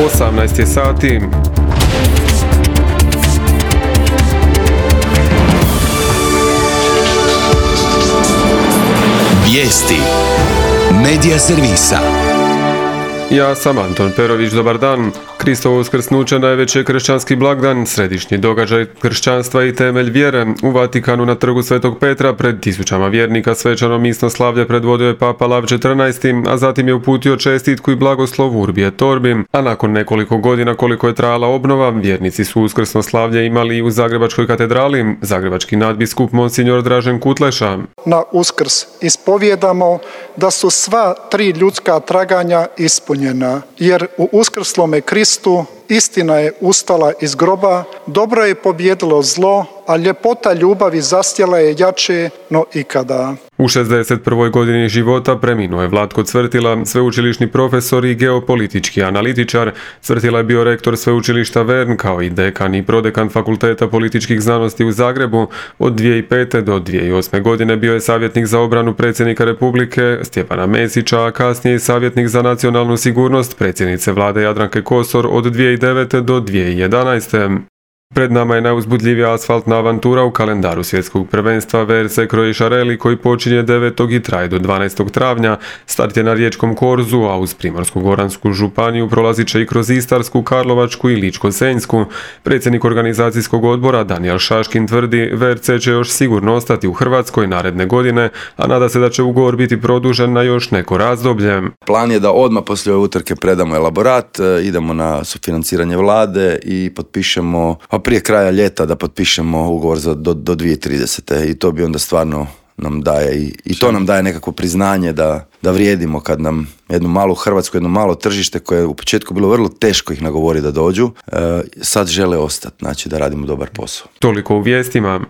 18 je sati. Vijesti Medija servisa. Ja sam Anton Perović, dobar dan. Kristovo uskrsnuće najveći je kršćanski blagdan, središnji događaj kršćanstva i temelj vjere. U Vatikanu na trgu Svetog Petra pred tisućama vjernika svečano misno slavlje predvodio je Papa Lav XIV, a zatim je uputio čestitku i blagoslov Urbi et Orbi. A nakon nekoliko godina koliko je trajala obnova, vjernici su uskrsno slavlje imali i u Zagrebačkoj katedrali. Zagrebački nadbiskup Monsignor Dražen Kutleša. Na Uskrs ispovjedamo da su sva tri ljudska traganja ispunjena, jer u uskrslome Kristu istina je ustala iz groba, dobro je pobijedilo zlo, a ljepota ljubavi zasjela je jače no ikada. U 61. godini života preminuo je Vlatko Cvrtila, sveučilišni profesor i geopolitički analitičar. Cvrtila je bio rektor sveučilišta Vern, kao i dekan i prodekan Fakulteta političkih znanosti u Zagrebu. Od 2005. do 2008. godine bio je savjetnik za obranu predsjednika Republike Stjepana Mesića, a kasnije i savjetnik za nacionalnu sigurnost predsjednice vlade Jadranke Kosor od 2009. do 2011. Pred nama je najuzbudljivija asfaltna avantura u kalendaru svjetskog prvenstva VRC Croatia Rally koji počinje 9. i traje do 12. travnja. Start je na riječkom korzu, a uz Primorsko-goransku županiju prolazit će i kroz Istarsku, Karlovačku i Ličko-senjsku. Predsjednik organizacijskog odbora Danijel Šaškin tvrdi VRC će još sigurno ostati u Hrvatskoj naredne godine, a nada se da će ugovor biti produžen na još neko razdoblje. Plan je da odmah poslije ove utrke predamo elaborat, idemo na sufinanciranje vlade i potpišemo prije kraja ljeta da potpišemo ugovor do 2030. I to bi onda stvarno nam daje i to nam daje nekako priznanje da vrijedimo kad nam jednu malu Hrvatsku, jedno malo tržište koje je u početku bilo vrlo teško ih nagovori da dođu, sad žele ostati, znači da radimo dobar posao. Toliko u vijestima.